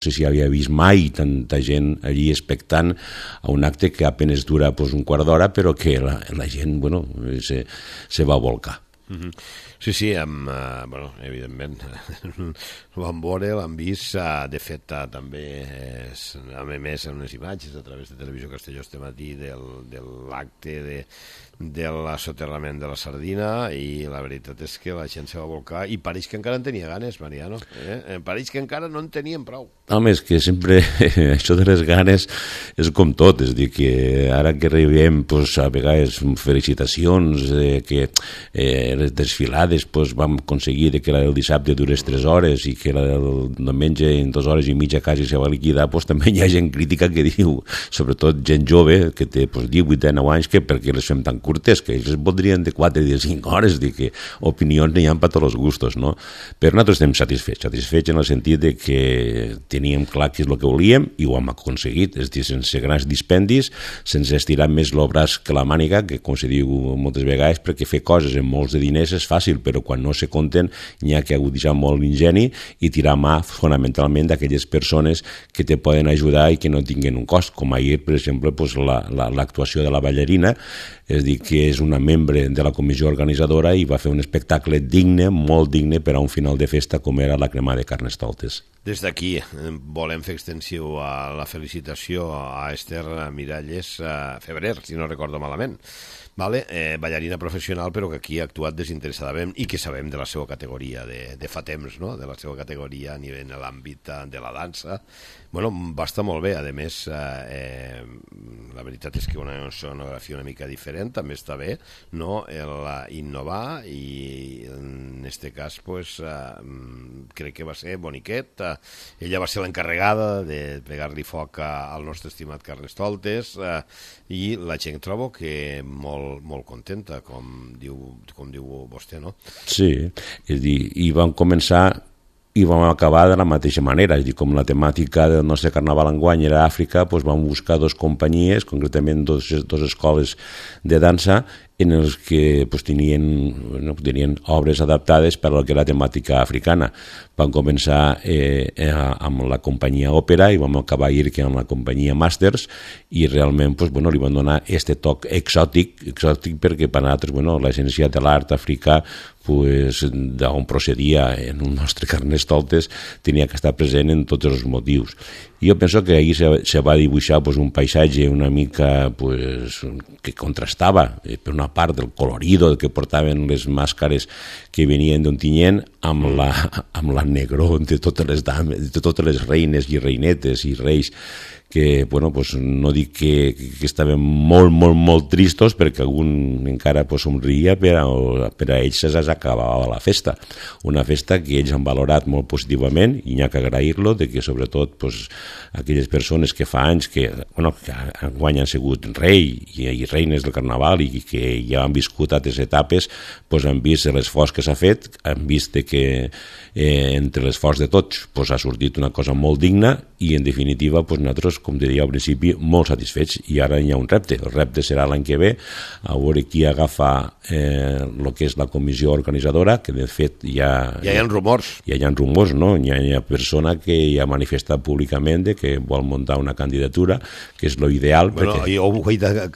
No sé si havia vist mai tanta gent allí expectant a un acte que apenas dura un quart d'hora, però que la gent se va volcar. Sí, evidentment ho van veure, l'han vist, de fet també hem emès unes imatges a través de Televisió Castelló este matí de l'acte de l'assoterrament de la sardina, i la veritat és que la gent se va volcar i pareix que encara en tenia ganes, Mariano, pareix que encara no en tenien prou. Home, és que sempre això de les ganes és com tot, és a dir, que ara que rebem a vegades felicitacions que les desfilades vam aconseguir que la del dissabte durés 3 hores i que la del diumenge en 2 hores i mitja quasi se va liquidar, també hi ha gent crítica que diu, sobretot gent jove que té 18, 19 anys, que per què les fem tan curtes, que ells voldrien de 4 i de 5 hores, dir que opinions n'hi ha per tots els gustos, no? Però nosaltres estem satisfets en el sentit de que teníem clar què és el que volíem i ho hem aconseguit, és a dir, sense grans dispendis, sense estirar més el braç que la màniga, que com se diu moltes vegades, perquè fer coses amb molts de diners és fàcil, però quan no se compten n'hi ha que aguditzar molt l'ingeni i tirar mà fonamentalment d'aquelles persones que te poden ajudar i que no tinguin un cost, com ahir, per exemple, l'actuació de la ballarina, és a dir, que és una membre de la comissió organitzadora i va fer un espectacle digne, molt digne per a un final de festa com era la cremada de Carnestoltes. Des d'aquí volem fer extensiu a la felicitació a Esther Miralles Febrer, si no recordo malament, ballarina professional, però que aquí ha actuat desinteressadament i que sabem de la seva categoria de fa temps, no? De la seva categoria a nivell de l'àmbit de la dansa. Va estar molt bé, a més la veritat és que una sonografia una mica diferent també està bé, no? Innovar, i en aquest cas crec que va ser boniquet. Ella va ser l'encarregada de pegar-li foc al nostre estimat Carnestoltes, i la gent trobo que molt contenta, com diu vostè, no? Sí, és a dir, i vam començar i vam acabar de la mateixa manera, és a dir, com la temàtica del nostre carnaval enguany era Àfrica, vam buscar 2 companyies, concretament 2 escoles de dansa, en els que tenien obres adaptades per a lo que era temàtica africana. Vam començar amb la companyia Òpera i vam acabar ahir amb la companyia Masters, i realment li van donar aquest toc exòtic perquè per a nosaltres l'essència de l'art africà, d'on procedia en un nostre Carnestoltes, tenia que estar present en tots els motius. Jo penso que ahir se va dibuixar un paisatge una mica que contrastava, per una part, del colorido que portaven les màscares que venien d'Ontinyent amb la negró de totes les dames, de totes les reines i reinetes i reis, que no dic que estaven molt tristos, perquè algun encara somria, però per a ells s'acabava la festa. Una festa que ells han valorat molt positivament, i n'hi ha que agrair-lo, que sobretot aquelles persones que fa anys que enguany han sigut rei i reines del carnaval i que ja han viscut altres etapes, han vist l'esforç que s'ha fet, han vist que entre l'esforç de tots ha sortit una cosa molt digna, i en definitiva nosaltres, com te deia al principi, molt satisfets. I ara hi ha un repte. El repte serà l'any que ve, a veure qui agafa el que és la comissió organitzadora, que de fet ja hi ha rumors. Ja hi ha rumors, no? Hi ha persona que ja ha manifestat públicament que vol muntar una candidatura, que és l'ideal. Jo ho he de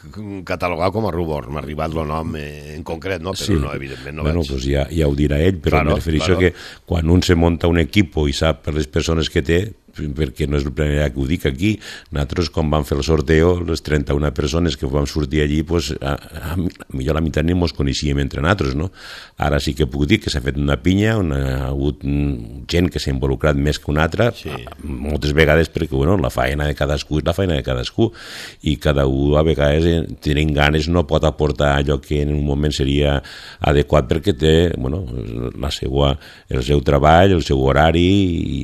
catalogar com a rumor, m'ha arribat el nom en concret, no? Però no, evidentment no vaig. Ja ho dirà ell, però em refereixo que quan un se munta un equip i sap per les persones que té, perquè no és la primera que ho dic aquí, nosaltres quan vam fer el sorteo, les 31 persones que vam sortir allí, millor la meitat ni ens coneixíem entre nosaltres, no? Ara sí que puc dir que s'ha fet una pinya, ha hagut gent que s'ha involucrat més que una altra, moltes vegades perquè la feina de cadascú és la feina de cadascú, i cada un a vegades tenint ganes no pot aportar allò que en un moment seria adequat, perquè té el seu treball, el seu horari,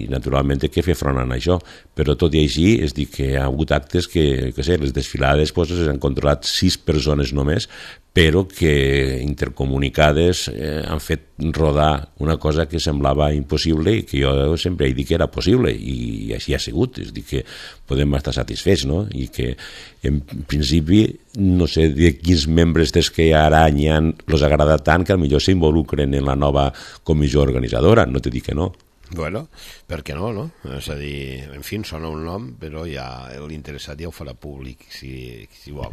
i naturalment té que fer front a això. Però tot i així, és dir, que hi ha hagut actes que les desfilades s'han controlat 6 persones només, però que intercomunicades han fet rodar una cosa que semblava impossible i que jo sempre he dit que era possible, i així ha sigut. És dir, que podem estar satisfets, no? I que en principi no sé de quins membres des que ara els agrada tant que potser s'involucren en la nova comissió organitzadora, no te dic que no. Bueno, per què no, no? És a dir, en fi, sona un nom, però ja l'interessat ja ho farà públic, si vol.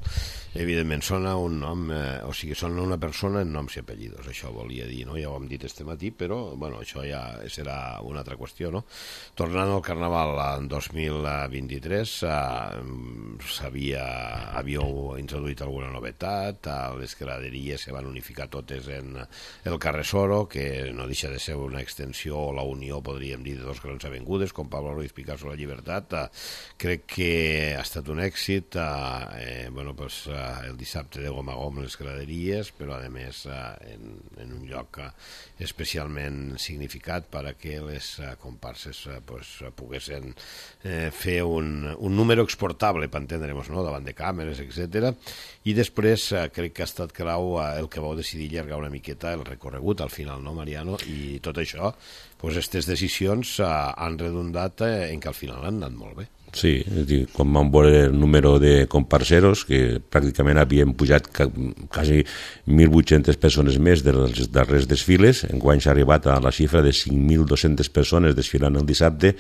Evidentment, sona un nom, o sigui, sona una persona en noms i apellidos, això volia dir, no? Ja ho hem dit este matí, però, bueno, això ja serà una altra qüestió, no? Tornant al Carnaval en 2023, havíeu introduït alguna novetat, les graderies se van unificar totes en el carrer Soro, que no deixa de ser una extensió o la unió, podríem dir, de dos grans avingudes, com Pablo Ruiz Picasso, La Llibertat. Crec que ha estat un èxit. Bueno, pues, el dissabte de gom a gom les graderies, però a més en un lloc especialment significat perquè les comparses pues, poguessin fer un número exportable, per entendre'ns, no? Davant de càmeres, etc. I després crec que ha estat clau el que vau decidir allargar una miqueta el recorregut al final, no, Mariano? I tot això, pues, aquestes decisions han redundat en que al final han anat molt bé. Sí, és dir, quan vam veure el número de comparseros, que pràcticament havien pujat quasi 1.800 persones més dels darrers desfiles, enguany s'ha arribat a la xifra de 5.200 persones desfilant el dissabte,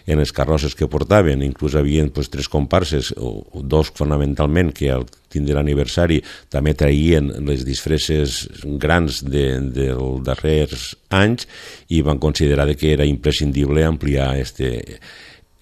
en les carrosses que portaven, inclús havien pues, 3 comparses, o 2 fonamentalment, que al tindre l'aniversari també traïen les disfresses grans dels darrers anys i van considerar que era imprescindible ampliar este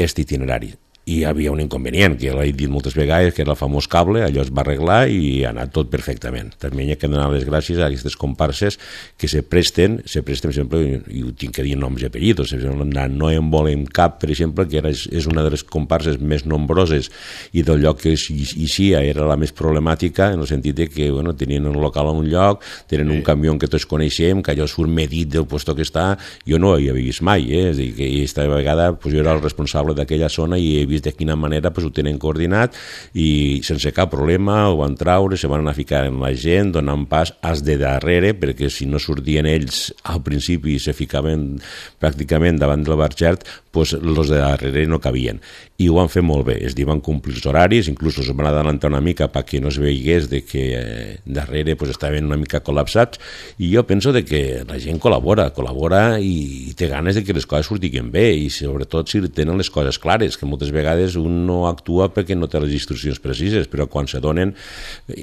itinerari. I hi havia un inconvenient, que l'he dit moltes vegades, que era el famós cable, allò es va arreglar i ha anat tot perfectament. També hi ha que donar les gràcies a aquestes comparses que se presten, per exemple, i ho tinc que dir noms i apellidos, no en volem cap, per exemple, que és una de les comparses més nombroses i del lloc que eixia era la més problemàtica, en el sentit que bueno, tenien un local a un lloc, tenen un camió que tots coneixem, que allò surt medit del puesto que està, jo no hi havia vist mai, és a dir, que aquesta vegada pues, jo era el responsable d'aquella zona i he vist de quina manera pues, ho tenen coordinat i sense cap problema ho van traure, se van anar a ficar en la gent donant pas als de darrere perquè si no sortien ells al principi i se ficaven pràcticament davant del barxert, pues, els de darrere no cabien i ho van fer molt bé, és dir, van complir els horaris, inclús els van adelantar una mica perquè no es veigués de que darrere pues, estaven una mica col·lapsats i jo penso de que la gent col·labora i té ganes de que les coses surtin bé i sobretot si tenen les coses clares, que moltes vegades un no actua perquè no té les instruccions precises, però quan se donen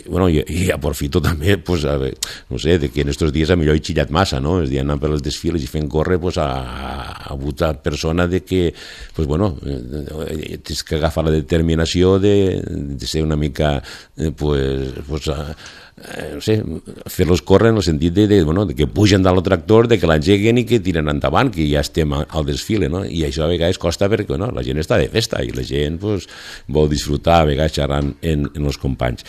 bueno, i aprofito també pues, no sé, de que en estos dies a millor he xillat massa, no? És dir, anant per les desfiles i fent córrer pues, a votar persona de que pues, bueno, tens que agafar la determinació de ser una mica pues, no sé, fer-los córrer en el sentit de que pugen dalt el tractor, de que l'engeguen i que tiren endavant, que ja estem al desfile, no? I això a vegades costa perquè la gent està de festa i la gent pues, vol disfrutar a vegades xerrant en els companys.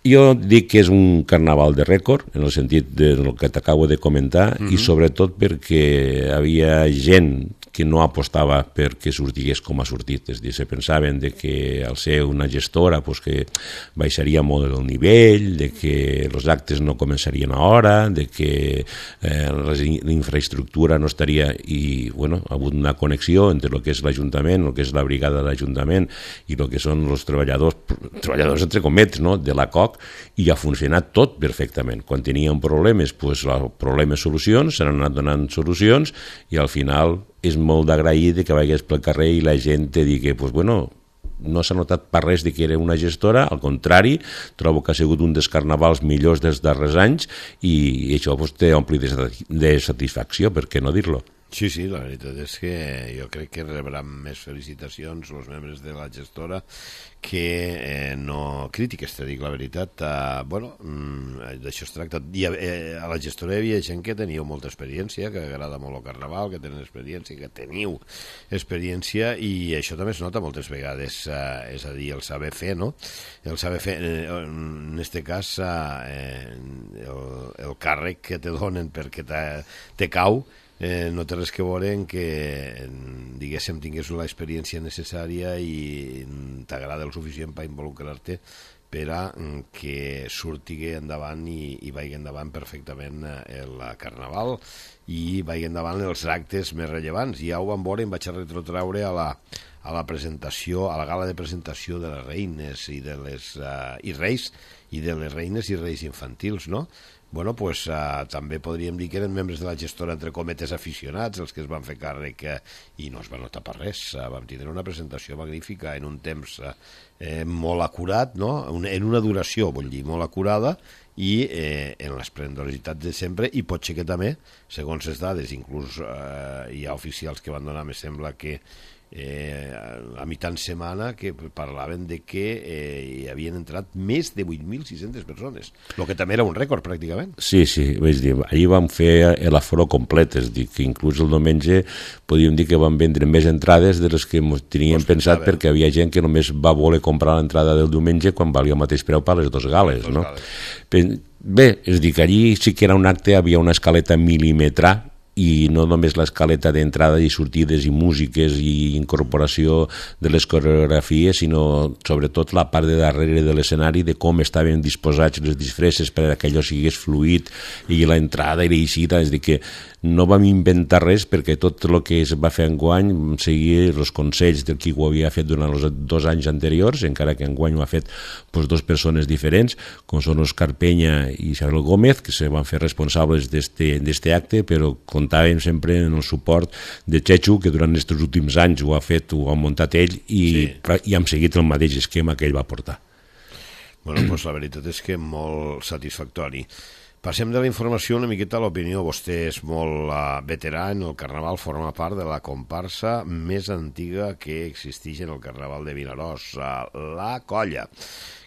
Jo dic que és un carnaval de rècord, en el sentit del que t'acabo de comentar, i sobretot perquè havia gent que no apostava perquè sortigués com ha sortit, és a dir, se pensaven de que al ser una gestora pues, que baixaria molt el nivell, de que els actes no començarien a hora, de que la infraestructura no estaria i bueno, ha hagut una connexió entre el que és l'Ajuntament, el que és la brigada de l'Ajuntament i el que són els treballadors entre cometes, no? De la COC, i ha funcionat tot perfectament. Quan teníem problemes, pues, problemes, solucions, s'han anat donant solucions i al final és molt d'agrair que vagis pel carrer i la gent te digui, pues, bueno, no s'ha notat per res de que era una gestora, al contrari, trobo que ha sigut un dels carnavals millors dels darrers anys i això pues, té ompli de satisfacció, per què no dir-lo? Sí, sí, la veritat és que jo crec que rebran més felicitacions els membres de la gestora que no crítiques, te dic la veritat. Bueno, d'això es tracta. A la gestora hi havia gent que teniu molta experiència, que agrada molt el carnaval, que tenen experiència, que teniu experiència i això també es nota moltes vegades, és a dir, el saber fer, no? El saber fer, en aquest cas, el càrrec que te donen perquè te cau, no té res que veure en que diguéssim tingués l'experiència necessària i t'agrada el suficient per involucrar-te per a que surti endavant i vagi endavant perfectament el carnaval i vagi endavant els actes més rellevants. Ja ho vam veure, em vaig a retrotraure a la presentació, a la gala de presentació de les reines i de les i reis i de les reines i reis infantils, no? bueno, pues, també podríem dir que eren membres de la gestora, entre cometes, aficionats, els que es van fer càrrec, i no es va notar per res. Vam tindre una presentació magnífica en un temps molt acurat, no? En una duració, vull dir, molt acurada, i en l'esplendorositat de sempre, i pot ser que també, segons les dades, inclús hi ha oficials que van donar, me sembla que a mitjan setmana, que parlaven de que hi havien entrat més de 8.600 persones, el que també era un rècord pràcticament. Sí, vaig dir, allí vam fer l'aforo complet, és dir, que inclús el diumenge podíem dir que vam vendre més entrades de les que teníem pensat, perquè hi havia gent que només va voler comprar l'entrada del diumenge quan valia el mateix preu per les dues gales, no? Bé, és dir, que allí sí que era un acte, havia una escaleta mil·límetra, i no només l'escaleta d'entrada i sortides i músiques i incorporació de les coreografies, sinó sobretot la part de darrere de l'escenari, de com estaven disposats les disfresses per que allò sigués fluid, i l'entrada i l'eixida, és dir, que no vam inventar res, perquè tot el que es va fer enguany seguia els consells del qui ho havia fet durant els 2 anys anteriors, encara que enguany ho ha fet dues persones diferents, com són Òscar Penya i Isabel Gómez, que se van fer responsables d'este acte, però comptàvem sempre en el suport de Chechu, que durant aquests últims anys ho ha muntat ell, i hem seguit el mateix esquema que ell va portar. Bueno, doncs la veritat és que molt satisfactori. Passem de la informació una miqueta a l'opinió. Vostè és molt veterà en el Carnaval, forma part de la comparsa més antiga que existeix en el Carnaval de Vinaròs, la Colla,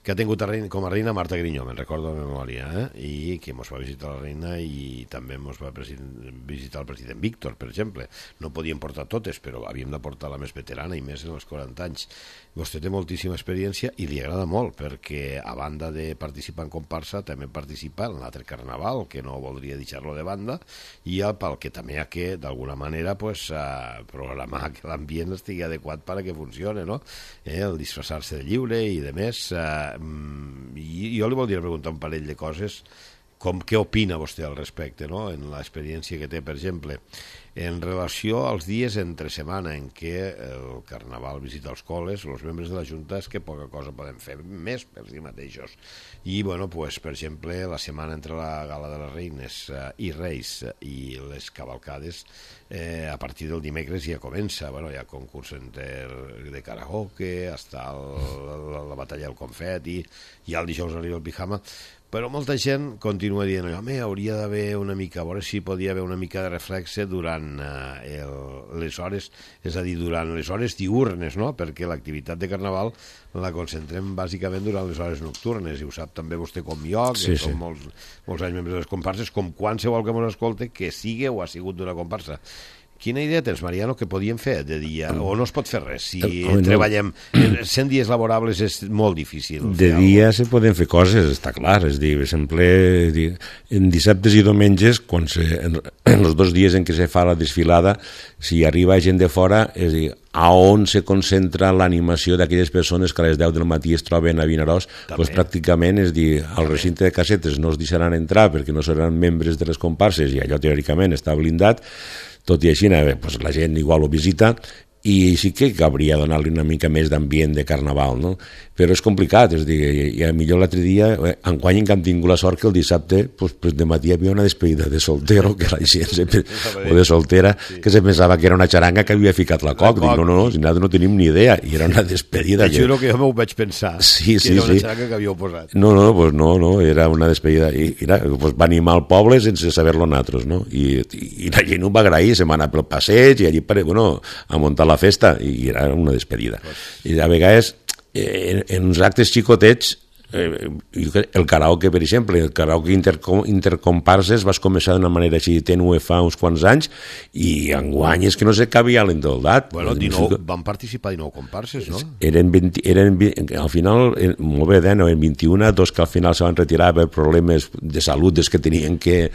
que ha tingut com a reina Marta Grinyó, me'n recordo de memòria, i que ens va visitar la reina i també ens va visitar el president Víctor, per exemple. No podíem portar totes, però havíem de portar la més veterana, i més en els 40 anys. Vostè té moltíssima experiència i li agrada molt, perquè a banda de participar en comparsa també participa en l'altre carnaval, que no voldria deixar-lo de banda, i pel que també ha que, d'alguna manera, programar que l'ambient estigui adequat perquè funcione, no? El disfressar-se de lliure i de més. I jo li voldria preguntar un parell de coses, com què opina vostè al respecte, no? En l'experiència que té, per exemple, en relació als dies entre setmana en què el Carnaval visita els col·les, els membres de la Junta és que poca cosa poden fer més per si mateixos. I, bueno, pues, per exemple, la setmana entre la Gala de les Reines i Reis i les cavalcades, a partir del dimecres ja comença. Bueno, hi ha concurs de karaoke, està la batalla del confeti, i el dijous arriba el pijama, però molta gent continua dient, home, hauria d'haver una mica, a veure si podia haver una mica de reflexe durant les hores, és a dir, durant les hores diürnes, no? Perquè l'activitat de Carnaval la concentrem bàsicament durant les hores nocturnes, i ho sap també vostè com jo, que som molts anys membres de les comparses, com qualsevol que ens escolte que sigui o ha sigut d'una comparsa. Quina idea tens, Mariano, que podíem fer de dia? O no es pot fer res? Si treballem 100 dies laborables és molt difícil. De dia se poden fer coses, està clar. És dir, per exemple, en dissabtes i diumenges, en els 2 dies en què se fa la desfilada, si arriba gent de fora, és dir, a on se concentra l'animació d'aquelles persones que a les 10 del matí es troben a Vinaròs, doncs pràcticament, és dir, al recinte de casetes no es deixaran entrar perquè no seran membres de les comparses, i allò teòricament està blindat. Tot i així, doncs la gent igual ho visita, i sí que hauria de donar-li una mica més d'ambient de Carnaval, no? Però és complicat, és dir, i millor l'altre dia, enguany en què hem tingut la sort que el dissabte, doncs de matí hi havia una despedida de soltero, que la gent o de soltera, que se pensava que era una xaranga que havia ficat la coc. Dic, no, nosaltres no tenim ni idea, i era una despedida. Te juro que jo m'ho vaig pensar, que era una xaranga que havíeu posat. No, era una despedida, i va animar el poble sense saber-lo nosaltres, no? I la gent ho va agrair, se va anar pel passeig, i allí, a muntar la festa, i era una despedida. I a vegades, en uns actes xicotets, el karaoke, per exemple, el karaoke intercomparses vas començar d'una manera així tènue fa uns quants anys, i enguany és que no sé què havia l'endoldat. Bueno, van participar 19 comparses, no? Al final, molt bé, eren 21, 2 que al final se van retirar per problemes de salut des que tenien que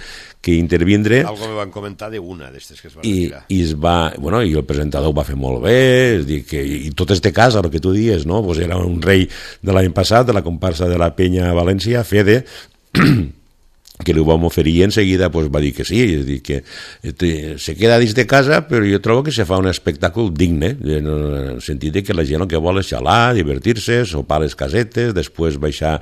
intervindre. Algo me van comentar d'una d'estes que es van retirar. I el presentador ho va fer molt bé, és dir, i tot este cas, el que tu dies, no? Era un rei de l'any passat, de la comparsa de la Penya a València, Fede, que li vam oferir i en seguida pues, va dir que sí, és dir, que se queda dins de casa, però jo trobo que se fa un espectacle digne, en el sentit que la gent el que vol és xalar, divertir-se, sopar a les casetes, després baixar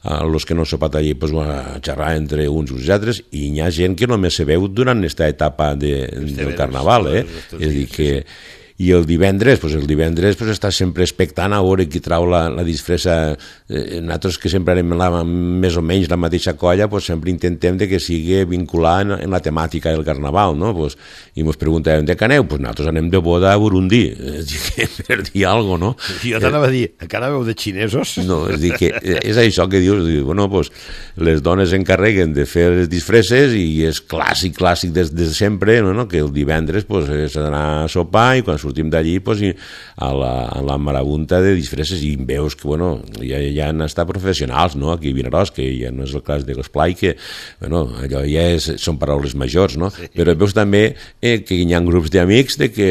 a los que no han sopat allí pues, a xerrar entre uns i els altres, i hi ha gent que només se veu durant aquesta etapa del carnaval, és dir, que i el divendres està sempre expectant a veure qui trau la disfressa. Nosaltres que sempre anem més o menys la mateixa colla, pues sempre intentem de que sigui vinculat en la temàtica del carnaval, no? Pues, i ens preguntàvem de què aneu? Pues nosaltres anem de boda a Burundi, per dir alguna cosa, no? Jo t'anava a dir, que anàveu de xinesos? No, és dir, que és això que dius, bueno, pues, les dones s'encarreguen de fer les disfresses i és clàssic des de sempre, no? Que el divendres pues, és anar a sopar i quan sortim d'allí pues, a la marabunta de disfresses i veus que bueno, ja han estat professionals, no? Aquí a Vinaròs, que ja no és el cas de l'esplai, que bueno, allò ja són paraules majors, no? Sí. Però veus també que hi ha grups d'amics de que,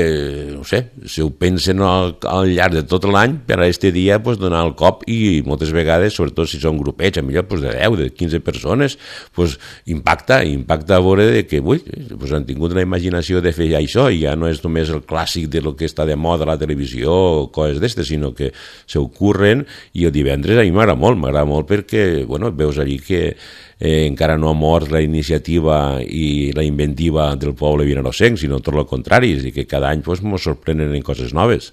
no sé, si ho pensen al llarg de tot l'any per a aquest dia pues, donar el cop i moltes vegades, sobretot si són grupets, a millor pues, de 10, de 15 persones, pues, impacta a veure de que ui, pues, han tingut la imaginació de fer això i ja no és només el clàssic de lo que està de moda a la televisió o coses d'estes, sinó que s'ocorren i el divendres a mi m'agrada molt perquè bueno, veus allí que encara no ha mort la iniciativa i la inventiva del poble vinarossenc, sinó tot el contrari, és a dir, que cada any pues, ens sorprenen en coses noves.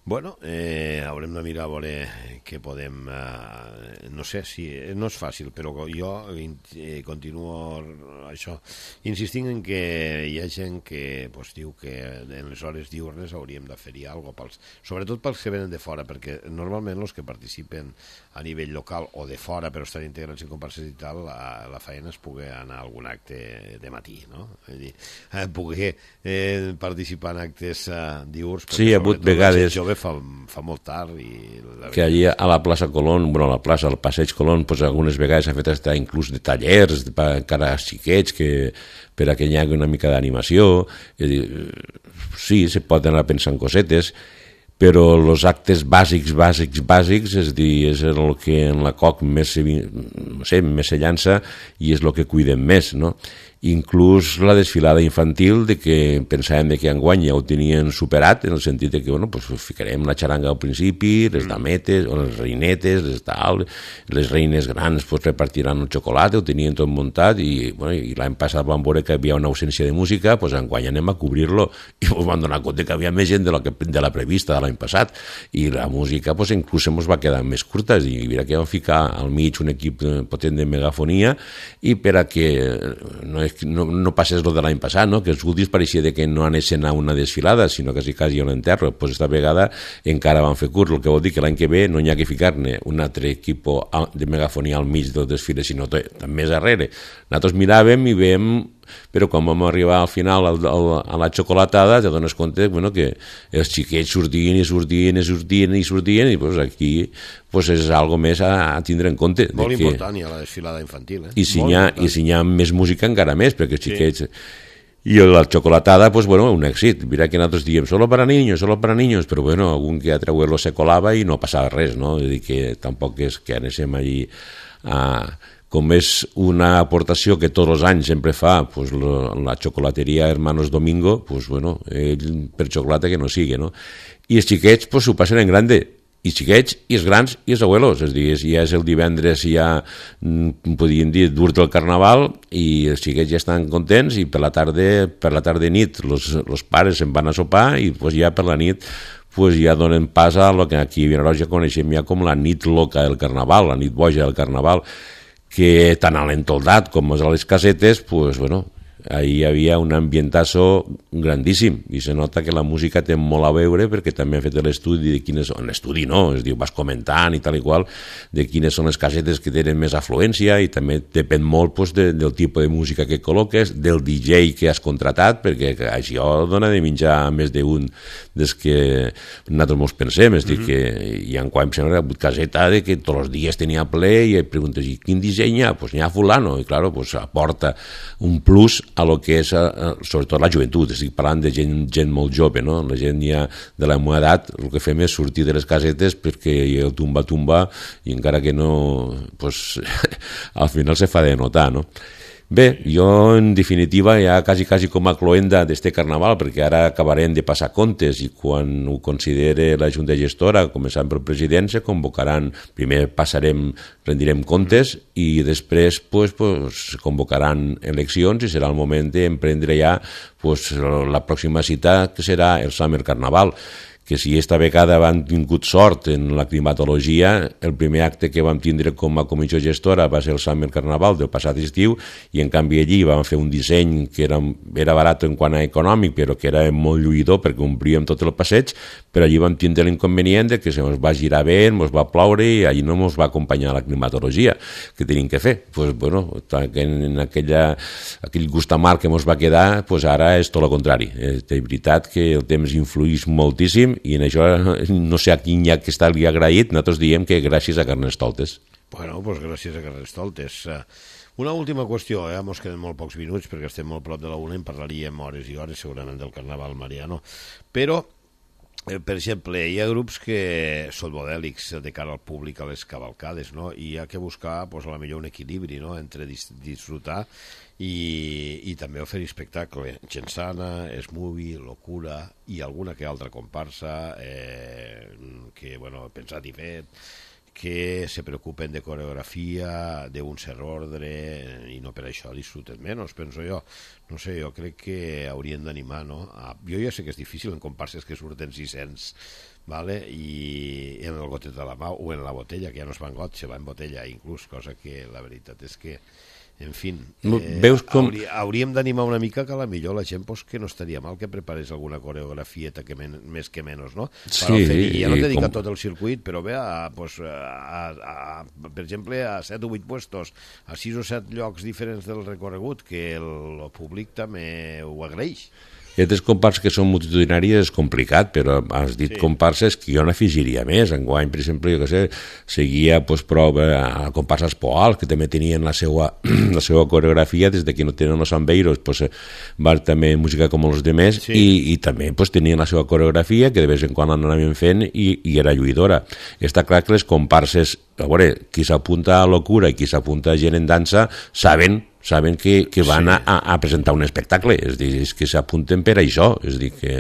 Bueno, haurem de mirar a veure què podem... no sé si... No és fàcil, però jo continuo això, insistint en que hi ha gent que pues, diu que en les hores diurnes hauríem de fer-hi alguna cosa, sobretot pels que venen de fora, perquè normalment els que participen a nivell local o de fora però estan integrats en comparses i tal, la feina es pugui anar a algun acte de matí, no? És dir, poder participar en actes diurns, sí, hi ha hagut vegades fa molt tard i que allí a la plaça Colón, bueno, a la plaça, al passeig Colón, pues, algunes vegades s'ha fet estar inclús de tallers encara xiquets que per a que hi hagi una mica d'animació. Sí, se pot anar pensant cosetes, però els actes bàsics, és dir, és el que en la COC més se llança i és el que cuidem més, no? Inclús la desfilada infantil, de que pensàvem que enguany ja ho tenien superat, en el sentit de que bueno, pues, ficarem la xaranga al principi, les dametes, o les reinetes, les reines grans pues, repartiran el xocolata, ho tenien tot muntat, i, bueno, i l'any passat vam veure que hi havia una ausència de música, pues, enguany anem a cobrir-lo, i ens vam donar compte que havia més gent de la prevista de l'any passat, i la música pues, inclús ens va quedar més curta, i mira que vam ficar al mig un equip potent de megafonia, i per a que no passés el de l'any passat, no? Que els últims pareixia que no anessin a una desfilada, sinó que quasi a un enterro. Pues esta vegada encara van fer curt, el que vol dir que l'any que ve no hi ha que ficar-ne un altre equip de megafonia al mig del desfile, sinó més darrere. Nosaltres miràvem i veiem, però quan vam arribar al final a la xocolatada te dones compte bueno, que els xiquets sortien i pues, aquí pues, és algo més a tindre en compte. Molt important ja la desfilada infantil. I si hi ha més música encara més, perquè els xiquets... I la xocolatada, pues bueno, un èxit. Mira que nosaltres diem solo para niños, però bueno, algun que a treuer-lo se colava i no passava res, no? És dir, que tampoc és que anéssim allí com és una aportació que tots els anys sempre fa pues, la xocolateria Hermanos Domingo, pues bueno, per xocolata que no sigui, no? I els xiquets pues, ho passen en grande, i xiquets, i els grans, i els abuelos, és a dir, ja és el divendres ja, podríem dir, dur del carnaval, i els xiquets ja estan contents, i per la tarda nit, els pares se'n van a sopar, i pues, ja per la nit pues ja donen pas a el que aquí a Vinaròs ja coneixem ja com la nit loca del carnaval, la nit boja del carnaval, que tant a l'entoldat com a les casetes, pues, bueno, ahí hi havia un ambientazo grandíssim i se nota que la música té molt a veure perquè també han fet l'estudi de quines són, l'estudi no, es diu, vas comentant i tal i qual, de quines són les casetes que tenen més afluència i també depèn molt pues, del tipus de música que col·loques, del DJ que has contratat, perquè això dona de menjar més d'un des que nosaltres mos pensem, és dir, que hi ha quan em sembla caseta de que tots els dies tenia ple i et preguntes, i quin disseny hi ha? Pues n'hi ha fulano, i claro, pues aporta un plus a lo que és, sobretot la joventut, estic parlant de gent molt jove, no? La gent ja de la meva edat, el que fem és sortir de les casetes perquè el tumba i encara que no, pues, al final se fa de notar, no? Bé, jo en definitiva ja quasi com a cloenda d'este carnaval, perquè ara acabarem de passar comptes i quan ho considere la Junta Gestora, començant pel president, se convocaran, primer rendirem comptes i després pues, convocaran eleccions i serà el moment d'emprendre ja pues, la pròxima cita que serà el Summer Carnaval, que si esta vegada vam tingut sort en la climatologia, el primer acte que vam tindre com a comissió gestora va ser el Summer Carnaval del passat estiu i en canvi allí vam fer un disseny que era barat en quant a econòmic però que era molt lluïdor perquè omplíem tot el passeig, però allí vam tindre l'inconvenient de que se ens va girar vent, ens va ploure i allí no ens va acompanyar la climatologia que tenim que fer. Pues, bueno, en aquell gust amarg que ens va quedar, pues ara és tot el contrari. De veritat que el temps influïx moltíssim i en això no sé a quin ja que està li agraït, nosaltres diem que gràcies a Carnestoltes. Bueno, doncs gràcies a Carnestoltes. Una última qüestió, mos queden molt pocs minuts perquè estem molt prop de la una i en parlaríem hores i hores segurament del Carnaval mariano, però per exemple, hi ha grups que són modèlics de cara al públic a les cavalcades, no? I hi ha que buscar pues, a la millor un equilibri, no? Entre disfrutar i també oferir espectacle. Gent sana, Smoothie, Locura i alguna que altra comparsa que, bueno, pensat i fet, que se preocupen de coreografia, d'un cert ordre, i no per això disfruten menys, penso jo. No sé, jo crec que haurien d'animar, no? Jo ja sé que és difícil en comparses que surten 600, ¿vale? I en el gotet de la mà o en la botella, que ja no es va en got, se va en botella inclús, cosa que la veritat és que en fi, veus com... hauríem d'animar una mica que a la millor la gent pues, que no estaria mal que preparés alguna coreografieta que més que menys, no? Sí, ja no dedica tot el circuit, però bé, per exemple, a 7 o 8 puestos, a 6 o 7 llocs diferents del recorregut, que el públic també ho agraeix. Aquestes comparses que són multitudinàries és complicat, però has dit sí. Comparses que jo n'afegiria més. Enguany, per exemple, jo què sé, seguia pues, prova a comparses Poal, que també tenien la seva coreografia, des de que no tenen els Ambeiros, pues, va també música com els demés, sí. i també pues, tenien la seva coreografia, que de vez en quan l'anaven fent, i era lluïdora. Està clar que les comparses, a veure, qui s'apunta a Locura i qui s'apunta a Gent en Dansa, saben que van sí. a presentar un espectacle, és dir, és que s'apunten per això, és dir, que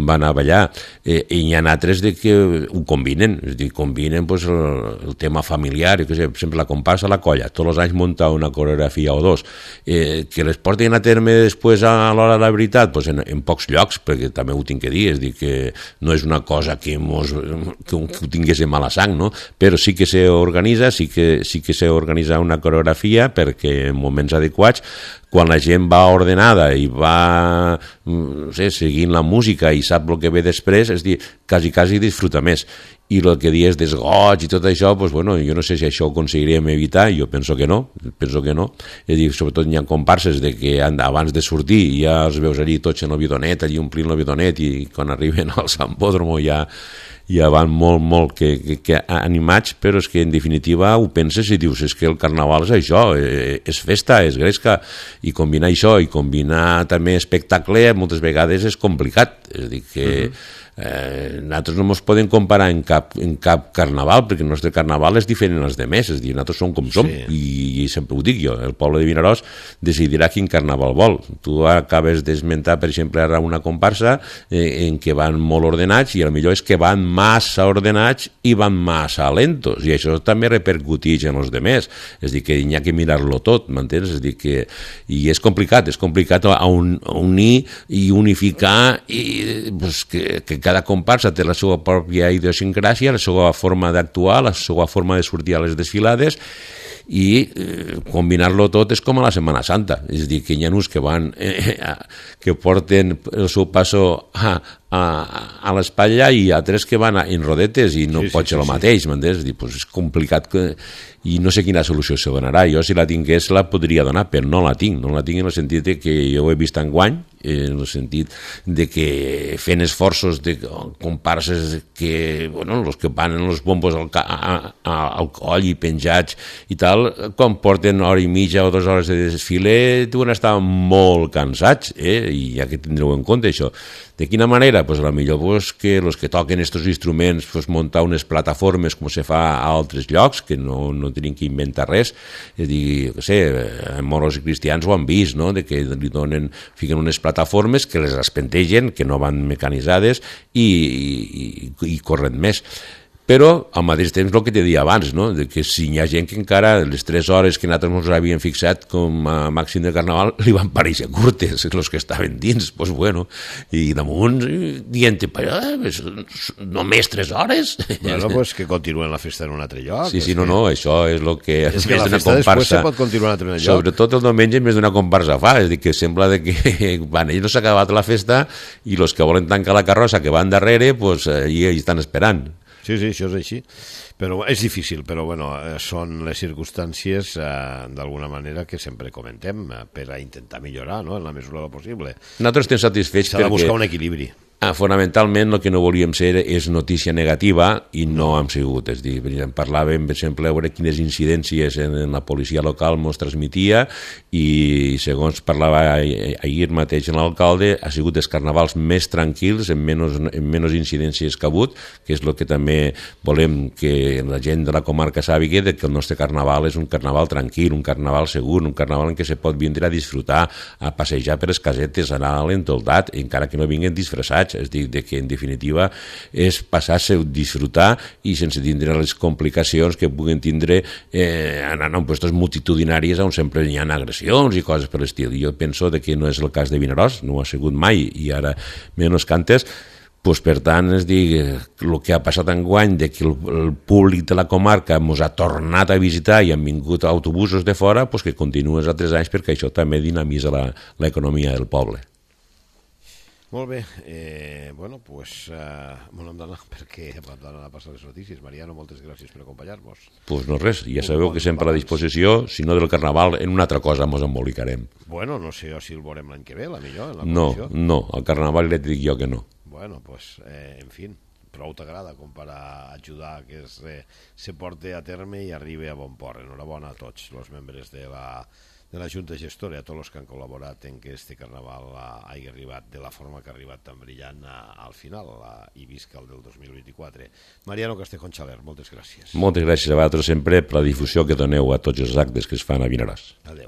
van a ballar, i hi ha altres de que ho combinen, és dir, combinen pues, el tema familiar, que sé, per exemple, la comparsa a la colla, tots els anys munta una coreografia o dos, que les portin a terme després a l'hora de la veritat, pues, en pocs llocs, perquè també ho tinc que dir, és dir, que no és una cosa que ho tinguéssim a la sang, no? Però sí que s'organitza, sí que s'organitza una coreografia perquè en moments adequats, quan la gent va ordenada i va no sé, seguint la música i sap el que ve després, és dir, quasi disfruta més. I el que dius desgoig i tot això, pues, bueno, jo no sé si això ho aconseguiríem evitar, jo penso que no. És dir, sobretot hi ha comparses de que abans de sortir ja els veus allí tots en el bidonet, allí omplint el bidonet, i quan arriben al Sambódromo ja van molt que animats, però és que en definitiva ho penses i dius, és que el carnaval és això, és festa, és gresca, i combinar això i combinar també espectacle moltes vegades és complicat, és a dir que nosaltres no ens podem comparar en cap carnaval, perquè el nostre carnaval és diferent als demés, és a dir, nosaltres som com som, sí. i sempre ho dic jo, el poble de Vinaròs decidirà quin carnaval vol. Tu acabes d'esmentar, per exemple, ara una comparsa en què van molt ordenats, i el millor és que van massa ordenats i van massa lentos, i això també repercuteix en els demés, és a dir, que hi ha que mirar-lo tot, m'entens? És a dir, que i és complicat unir i unificar, i pues, que cada comparsa té la seva pròpia idiosincràsia, la seva forma d'actuar, la seva forma de sortir a les desfilades, i combinar-lo tot és com a la Setmana Santa, és a dir, que hi ha uns que van que porten el seu passo a a l'espatlla i altres que van en rodetes i no pot ser el mateix, m'entens? Pues és complicat i no sé quina solució se donarà. Jo, si la tingués, la podria donar, però no la tinc en el sentit que jo ho he vist enguany, en el sentit de que fent esforços de comparses que, bueno, els que van en els bombos al coll i penjats i tal, quan porten hora i mitja o 2 hores de desfile, deuen estar molt cansats, i ja que tindreu en compte això. De quina manera? Pues a lo millor pues, que els que toquen aquests instruments pues, muntar unes plataformes com se fa a altres llocs, que no tenen que inventar res, és a dir, que sé, moros i cristians ho han vist, no? De que li fiquen unes plataformes que les espentegen, que no van mecanitzades i corren més. Però al mateix temps el que te deia abans, no? De que si hi ha gent que encara les 3 hores que nosaltres ens havíem fixat com a màxim de Carnaval li van pareixer curtes, els que estaven dins, doncs bueno, i damunt dient, només 3 hores? Bueno, pues que continuen la festa en un altre lloc. Sí, no, això és el que... És que la festa després se pot continuar en un altre lloc. Sobretot el diumenge més d'una comparsa fa, és a dir, que sembla que van, ells no s'ha acabat la festa i els que volen tancar la carrossa que van darrere, doncs allà estan esperant. Sí, això és així, però és difícil, però bueno, són les circumstàncies d'alguna manera que sempre comentem per a intentar millorar, no?, en la mesura del possible. Nosaltres estem satisfets perquè... S'ha de buscar un equilibri. Fonamentalment el que no volíem ser és notícia negativa i no hem sigut, és a dir, parlàvem per exemple a veure quines incidències en la policia local ens transmetia i segons parlava ahir mateix l'alcalde ha sigut els carnavals més tranquils en menys incidències que ha hagut, que és el que també volem que la gent de la comarca sàpiga que el nostre carnaval és un carnaval tranquil, un carnaval segur, un carnaval en què se pot vindre a disfrutar, a passejar per les casetes, a anar a l'entoldat, encara que no vinguen disfressats, és dir, que en definitiva és passar-se, disfrutar i sense tindre les complicacions que puguen tindre anant a puestos multitudinaris on sempre hi ha agressions i coses per l'estil. Jo penso que no és el cas de Vinaròs, no ho ha sigut mai i ara menys cantes. Pues, per tant, és dir, el que ha passat enguany de que el públic de la comarca ens ha tornat a visitar i han vingut autobusos de fora, pues que continua els altres anys perquè això també dinamitza l'economia del poble. Molt bé, bueno, doncs molt hem d'anar perquè hem d'anar a passar les notícies. Mariano, moltes gràcies per acompanyar-nos. Doncs no res, ja sabeu que sempre a la disposició, si no del Carnaval, en una altra cosa ens embolicarem. Bueno, no sé si el veurem l'any que ve, la millor, en la comissió. No, al Carnaval ja et dic jo que no. Bueno, doncs, en fi, prou t'agrada com per ajudar que se porti a terme i arribi a bon port. Enhorabona a tots els membres de la Junta Gestora, a tots els que han col·laborat en que este Carnaval hagi arribat de la forma que ha arribat tan brillant al final i visca el del 2024. Mariano Castejón Xaler, moltes gràcies. Moltes gràcies a vosaltres sempre per la difusió que doneu a tots els actes que es fan a Vinaròs. Adéu.